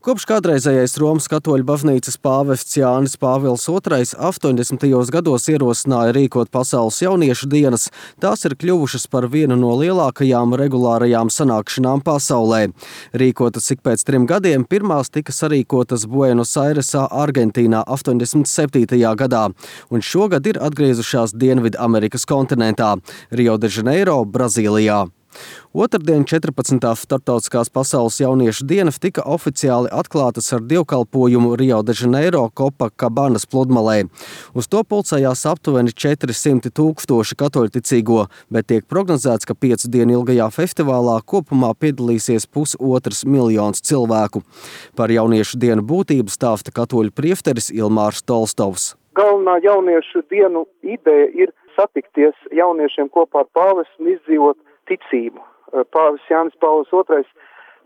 Kopš kādreizējais Romas katoļu baznīcas pāvests Jānis Pāvils II 80. gados ierosināja rīkot pasaules jauniešu dienas, tās ir kļuvušas par vienu no lielākajām regulārajām sanākšanām pasaulē. Rīkotas ik pēc 3 gadiem, pirmās tika sarīkotas Buenos Airesā, Argentīnā 87. gadā, un šogad ir atgriezušās Dienvidu Amerikas kontinentā – Rio de Janeiro, Brazīlijā. Otrdien 14. starptautiskās pasaules jauniešu dienas tika oficiāli atklātas ar dievkalpojumu Rio de Janeiro Copacabana pludmalē. Uz to pulcējās aptuveni 400 000 katoļticīgo, bet tiek prognozēts, ka 5 dienu ilgajā festivālā kopumā piedalīsies 1,5 miljonu cilvēku. Par jauniešu dienu būtību stāsta katoļu priesteris Ilmārs Tolstovs. Galvenā jauniešu dienu ideja ir satikties jauniešiem kopā ar pāvestu un izdzīvot ticību. Pāvests Jānis Pāvils II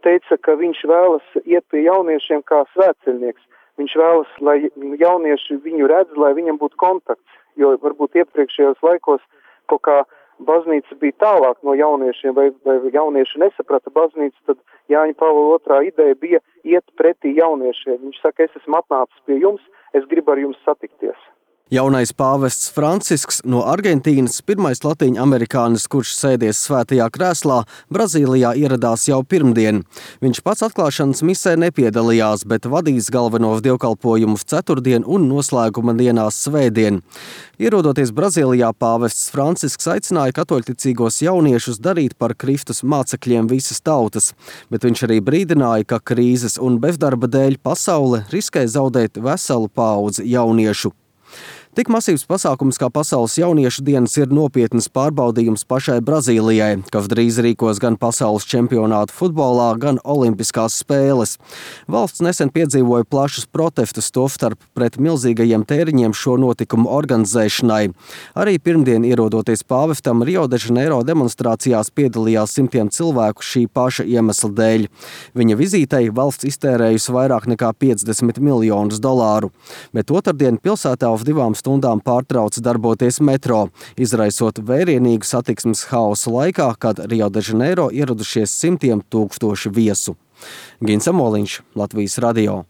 teica, ka viņš vēlas iet pie jauniešiem kā svētceļnieks. Viņš vēlas, lai jaunieši viņu redz, lai viņam būtu kontakts, jo varbūt iepriekšējos laikos kaut kā baznīca bija tālāk no jauniešiem, vai jaunieši nesaprata baznīcu, tad Jāņa Pāvila II ideja bija iet pretī jauniešiem. Viņš saka, es esmu atnācis pie jums, es gribu ar jums satikties. Jaunais pāvests Francisks no Argentīnas, pirmais latīņamerikānis, kurš sēdies svētajā krēslā, Brazīlijā ieradās jau pirmdien. Viņš pats atklāšanas misē nepiedalījās, bet vadīs galvenos dievkalpojumus ceturtdien un noslēguma dienās svētdien. Ierodoties Brazīlijā, pāvests Francisks aicināja katoļticīgos jauniešus darīt par Kristus mācekļiem visas tautas, bet viņš arī brīdināja, ka krīzes un bezdarba dēļ pasaule riskē zaudēt veselu paudzi jauniešu. Tik masīvs pasākums kā pasaules jauniešu dienas ir nopietnas pārbaudījums pašai Brazīlijai, kas drīz rīkos gan pasaules čempionātu futbolā, gan olimpiskās spēles. Valsts nesen piedzīvoja plašus protestus, tostarp pret milzīgajiem tēriņiem šo notikumu organizēšanai. Arī pirmdien ierodoties pāvestam Rio de Janeiro demonstrācijās piedalījās simtiem cilvēku šī paša iemesla dēļ. Viņa vizītei valsts iztērējusi vairāk nekā $50 miljonus, bet otrdien pilsētā uz 2 stundām pārtrauca darboties metro, izraisot vērienīgu satiksmes haosu laikā, kad Rio de Janeiro ieradušies simtiem tūkstoši viesu. Gins Amoliņš, Latvijas radio.